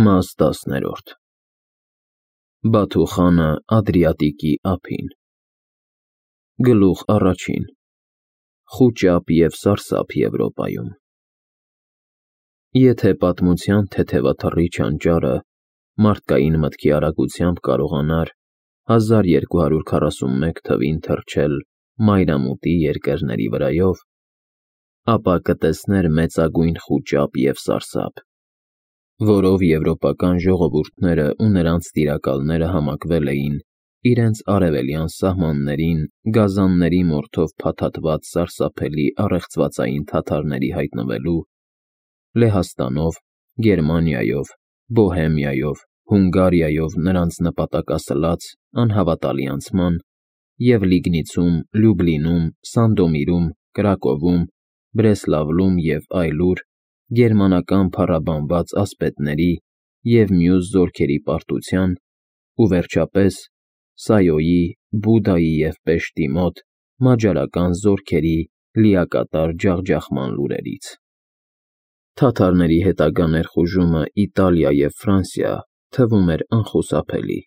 Մաս 10-րդ Բաթու խանը Ադրիատիկի ափին Գլուխ առաջին Խուճապ և սարսափ Եվրոպայում Եթե պատմության թեթևաթռի չանճարը մարդկային մտքի արագությամբ կարողանար 1241 թվին թռչել մայրամուտի երկրների վրայով, ապա կտեսներ մեծագույն խուճապ և սարսափ, որով եվրոպական ժողովուրդները ու նրանց տիրակալները համակվել էին իրենց արևելյան սահմաններին գազանների մորթով փաթաթված սարսափելի առեղծվածային թաթարների հայտնվելու, Լեհաստանով, Գերմանիայով, Բոհեմիայով, Հունգարիայով նրանց նպատակասլաց անհավատալի անցման և Լիգնիցում, Լյուբլինում, Սանդոմիրում, Կրակովում, Բրեսլավլում և այլուր գերմանական փառաբանված ասպետների և մյուս զորքերի պարտության ու վերջապես Սայոյի, Բուդայի և Պեշտի մոտ մաջարական զորքերի լիակատար ջախջախման լուրերից։ Թաթարների հետագա ներխուժումը Իտալիա և Ֆրանսիա թվում էր անխուսափելի։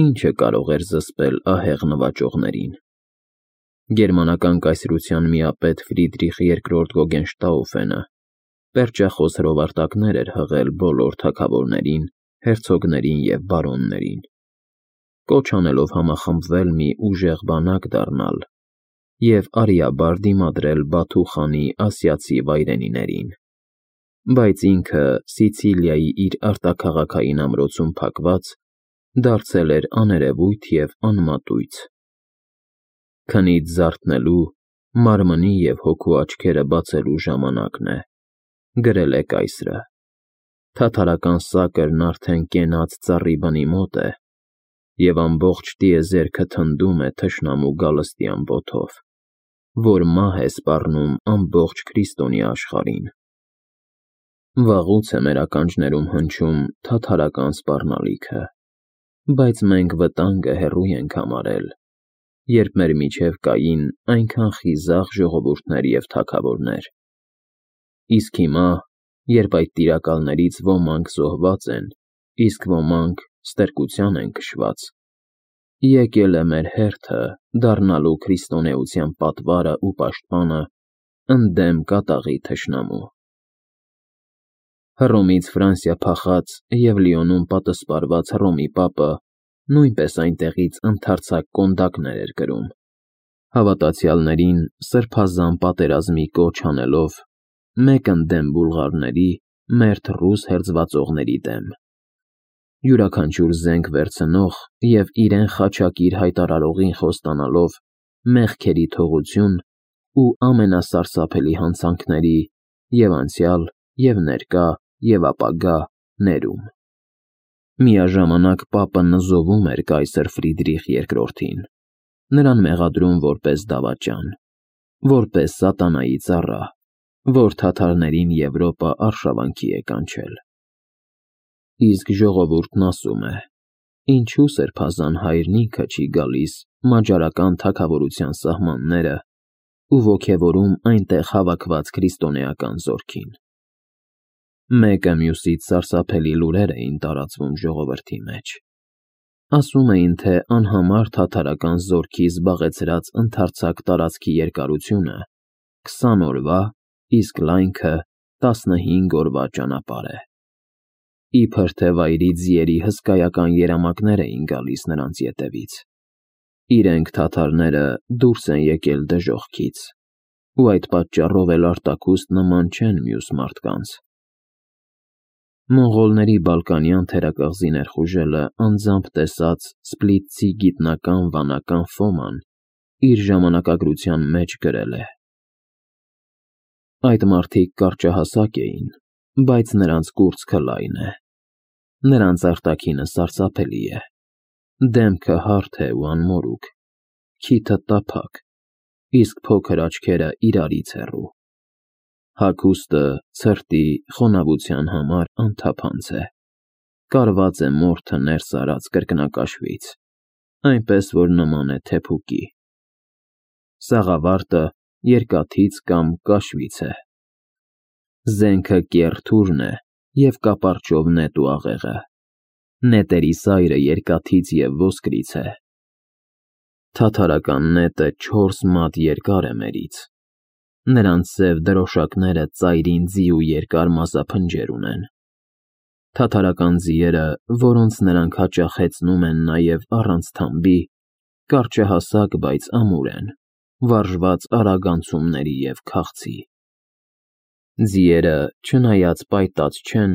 Ի՞նչը կարող էր զսպել ահեղ նվաճողներին։ Գերմանական կայսրության միապետ Ֆրիդրիխ II Գոգենշտաուֆենը պերճախոս հրովարտակներ էր հղել բոլոր թագավորներին, հերցոգներին և բարոններին, կոչ անելով համախմբվել մի ուժեղ բանակ դառնալ և արիաբար դիմադրել Բաթու խանի ասիացի վայրենիներին, բայց ինքը Սիցիլիայի իր արտաքաղաքային ամրոցում փակված դարձել էր աներևույթ և անմատույց։ Քնից զարթնելու, մարմնի և հոգու աչքերը բացելու ժամանակն է, գրել է կայսրը։ Թաթարական սակրն արդեն կենաց ծառի բնի մոտ է, և ամբողջ տիեզերքը թնդում է թշնամու գալստյան ոտով, որ մահ է սպառնում ամբողջ քրիստոնյա աշխարհին։ Վաղուց է մեր ականջներում հնչում թաթարական սպառնալիքը, բայց մենք վտանգը հեռու ենք համարել, երբ մեր միջև կային այնքան խիզախ ժողովուրդներ և թագավորներ։ Իսկ հիմա, երբ այդ տիրակալներից ոմանք զոհված են, իսկ ոմանք ստրկության են քշված, եկել է մեր հերթը դառնալու քրիստոնեության պատվարը ու պաշտպանը ընդդեմ կատաղի թշնամու։ Հռոմից Ֆրանսիա փախած և Լիոնում պատսպարված Հռոմի պապը նույնպես այնտեղից ընդարձակ կոնդակներ էր կրում, հավատացյալներին սրբազան պատերազմի կոչ անելով մեկ ընդդեմ բուլղարների, մերթ ռուս հերձվածողների դեմ, յուրաքանչյուր զենք վերցնող և իրեն խաչակիր հայտարարողին խոստանալով մեղքերի թողություն ու ամենասարսափելի հանցանքների և՛ անցյալ, և՛ ներկա, և՛ ապագա ներում։ Միաժամանակ պապը նզովում էր կայսր Ֆրիդրիխ II-ին, նրան մեղադրում որպես դավաճան, որպես սատանայի ծառա, որ թաթարներին Եվրոպա արշավանքի է կանչել։ Իսկ ժողովուրդն ասում է. ինչու սրբազան հայրն ինքը չի գալիս մաջարական թագավորության սահմանները ու ոգևորում այնտեղ հավաքված քրիստոնեական զորքին։ Մեկը մյուսից սարսափելի լուրեր էին տարածվում ժողովրդի մեջ։ Ասում էին, թե անհամար թաթարական զորքի զբաղեցրած ընդարձակ տարածքի երկարությունը 20 օրվա, իսկ լայնքը 15 օրվա ճանապարհ է։ Իբր թե վայրի ձիերի հսկայական երամակներ էին գալիս նրանց ետևից։ Իրենք թաթարները դուրս են եկել դժոխքից, ու այդ պատճառով էլ արտաքուստ նման չեն մյուս մարդկանց։ Մոնղոլների Բալկանյան թերակղզի ներխուժելը անձամբ տեսած սպլիթցի գիտնական վանական Ֆոման իր ժամանակագրության մեջ գրել է. Այդ մարդիկ կարճահասակ էին, բայց նրանց կուրծքը լայն է, նրանց արտաքինը սարսափելի է, դեմքը հարթ է ու անմորուք, քիթը տափակ, իսկ փոքր աչքերը իրարից հեռու։ Հագուստը ցրտի, խոնավության համար անթափանց է, կարված է մորթը ներս արած կրկնակաշվից, այնպես որ նման է թեփուկի։ Սաղավարտը երկաթից կամ կաշվից է։ Զենքը կեռ թուրն է և կապարճով նետ ու աղեղը։ Նետերի սայրը երկաթից և ոսկրից է։ Թաթարական նետը 4 մատ երկար է մերից։ Նրանց սև դրոշակները ծայրին ձի ու երկար մազափնջեր ունեն։ Թաթարական ձիերը, որոնց նրանք հաճախ հեծնում են նաև առանց թամբի, կարճահասակ, բայց ամուր են, վարժված արագ անցումների և քաղցի։ Ձիերը, չնայած պայտած չեն,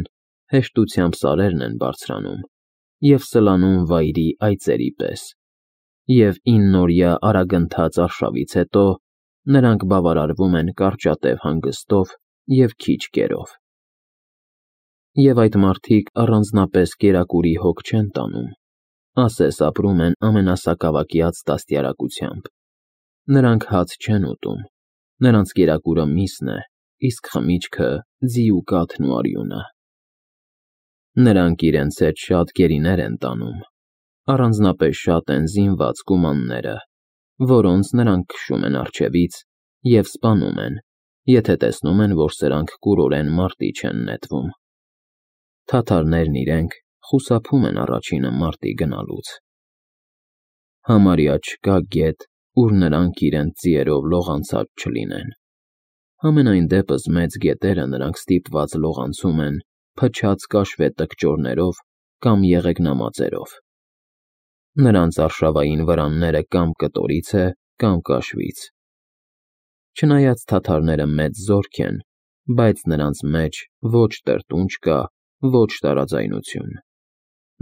հեշտությամբ սարերն են բարձրանում և սլանում վայրի այծերի պես, և 9-օրյա արագընթաց արշավից հետո նրանք բավարարվում են կարճատև հանգստով և քիչ կերով։ Եվ այդ մարդիկ առանձնապես կերակուրի հոգ չեն տանում, ասես ապրում են ամենասակավակյաց դաստիարակությամբ։ Նրանք հաց չեն ուտում, նրանց կերակուրը միսն է, իսկ խմիչքը ձի ու կաթն ու արյունը։ Նրանք իրենց հետ շատ գերիներ են տանում, առանձնապես շատ են զինված կումանները, որոնց նրանք քշում են առջևից և սպանում են, եթե տեսնում են, որ սրանք կուրորեն մարտի չեն նետվում։ Թաթարներն իրենք խուսափում են առաջինը մարտի գնալուց։ Համարյա չկա գետ, ուր նրանք իրենց ձիերով լողանցած չլինեն։ Համենայն դեպս մեծ գետերը նրանք ստիպված լողանցում են փչած կաշվե տկճորներով կամ եղեգնամածերով։ Նրանց արշավային վրանները կամ կտորից է, կամ կաշվից։ Չնայած թաթարները մեծ զորք են, բայց նրանց մեջ ոչ տրտունջ կա, ոչ տարաձայնություն։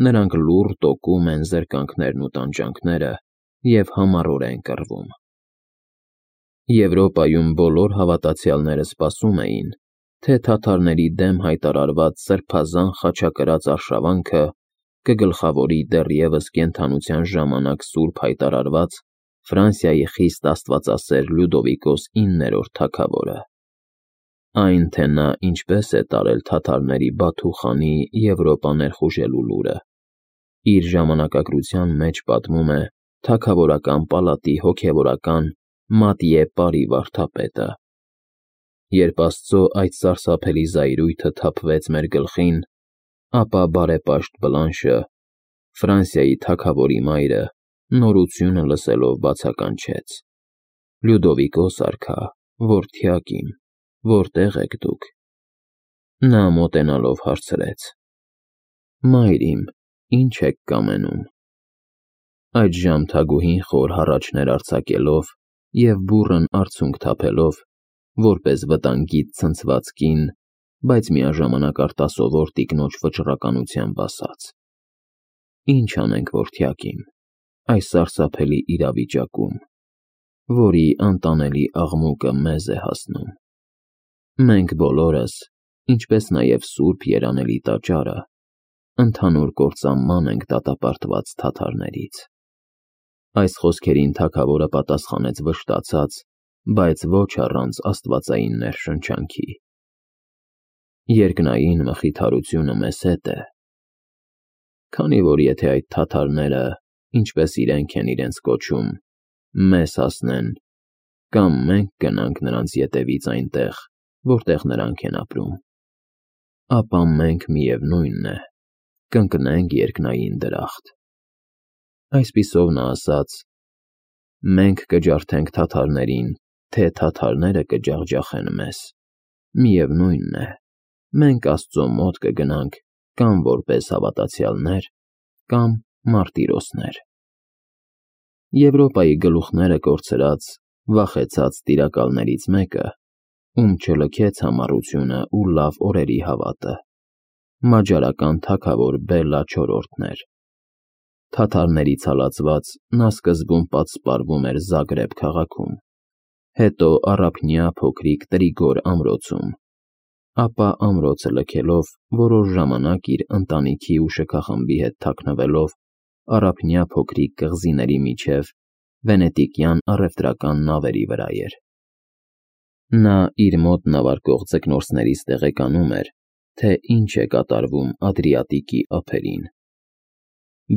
Նրանք լուռ տոկում են զրկանքներն ու տանջանքները և համառորեն կռվում։ Եվրոպայում բոլոր հավատացյալները սպասում էին, թե թաթարների դեմ հայտարարված սրբազան խաչակրաց արշավանքը կգլխավորի դեռևս կենդանության ժամանակ սուրբ հայտարարված Ֆրանսիայի խիստ աստվածասեր Լյուդովիկոս 9-րդ թագավորը։ Այն, թե նա ինչպես է տարել թաթարների Բաթու խանի Եվրոպա ներխուժելու լուրը, իր ժամանակագրության մեջ պատմում է թագավորական պալատի հոգևորական Մատիե Պարի վարդապետը։ Երբ Աստծո այդ սարսափելի զայրույթը թափվեց մեր գլխին, ապա բարեպաշտ Բլանշը, Ֆրանսիայի թագավորի մայրը, նորությունը լսելով բացականչեց. «Լյուդովիկոս արքա, որդյակ իմ, որտե՞ղ եք դուք»։ Նա մոտենալով հարցրեց. «Մայր իմ, ի՞նչ եք կամենում»։ Այդժամ թագուհին խոր հառաչներ արձակելով և բուռն արցունք թափելով, որպես վտանգից ցնցված կին, բայց միաժամանակ արտասովոր տիկնոջ վճռականությամբ ասաց. «Ինչ անենք, որդյակ իմ, այս սարսափելի իրավիճակում, որի անտանելի աղմուկը մեզ է հասնում։ Մենք բոլորս, ինչպես նաև Սուրբ Երանելի Տաճարը, ընդհանուր կործանման ենք դատապարտված թաթարներից»։ Այս խոսքերին թագավորը պատասխանեց վշտացած, բայց ոչ առանց աստվածային ներշնչանքի. «Երկնային մխիթարությունը մեզ հետ է, քանի որ եթե այդ թաթարները, ինչպես իրենք են իրենց կոչում, մեզ հասնեն, կամ մենք գնանք նրանց ետևից այնտեղ, որտեղ նրանք են ապրում, ապա մենք միևնույնն է, կընկնենք երկնային դրախտ»։ Այսպիսով նա ասաց. «Մենք կջարդենք թաթարներին, թե թաթարները կջախջախեն մեզ, միևնույնն է, մենք Աստծո մոտ կգնանք կամ որպես հավատացյալներ, կամ մարտիրոսներ»։ Եվրոպայի գլուխները կորցրած, վախեցած տիրակալներից մեկը, ում չլքեց համառությունը ու լավ օրերի հավատը, մաջարական թագավոր Բելլա IV-ն էր։ Թաթարներից հալածված նա սկզբում պատսպարվում էր Զագրեբ քաղաքում, հետո Առափնյա փոքրիկ Տրիգոր ամրոցում, ապա ամրոցը լքելով որոշ ժամանակ իր ընտանիքի ու շքախմբի հետ թաքնվելով Առափնյա փոքրիկ կղզիների միջև վենետիկյան առևտրական նավերի վրա էր։ Նա իր մոտ նավարկող ձկնորսներից տեղեկանում էր, թե ինչ է կատարվում Ադրիատիկի ափերին։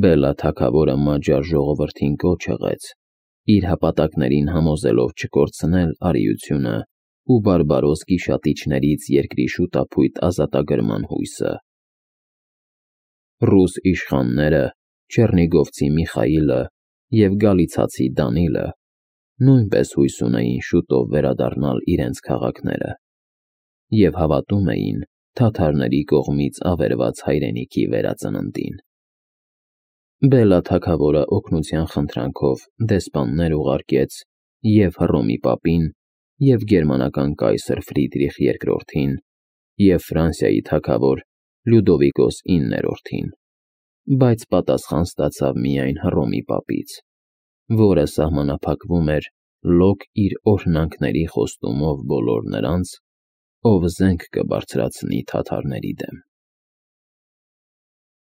Բելլա թագավորը մաջար ժողովրդին կոչ ըղեց, իր հպատակներին համոզելով չկորցնել արիությունը ու բարբարոս գիշատիչներից երկրի շուտափույթ ազատագրման հույսը։ Ռուս իշխանները, Չեռնիգովցի Միխայիլը և գալիցացի Դանիլը նույնպես հույս ունեին շուտով վերադառնալ իրենց քաղաքները և հավատում էին թաթարների կողմից ավերված հայրենիքի վերածննդին։ Բելլա թագավորը օգնության խնդրանքով դեսպաններ ուղարկեց և Հռոմի պապին, և գերմանական կայսր Ֆրիդրիխ II-ին, և Ֆրանսիայի թագավոր Լյուդովիկոս IX-ին, բայց պատասխան ստացավ միայն Հռոմի պապից, որը սահմանափակվում էր լոկ իր օրհնանքների խոստումով բոլոր նրանց, ով զենք կբարձրացնի թաթարների դեմ։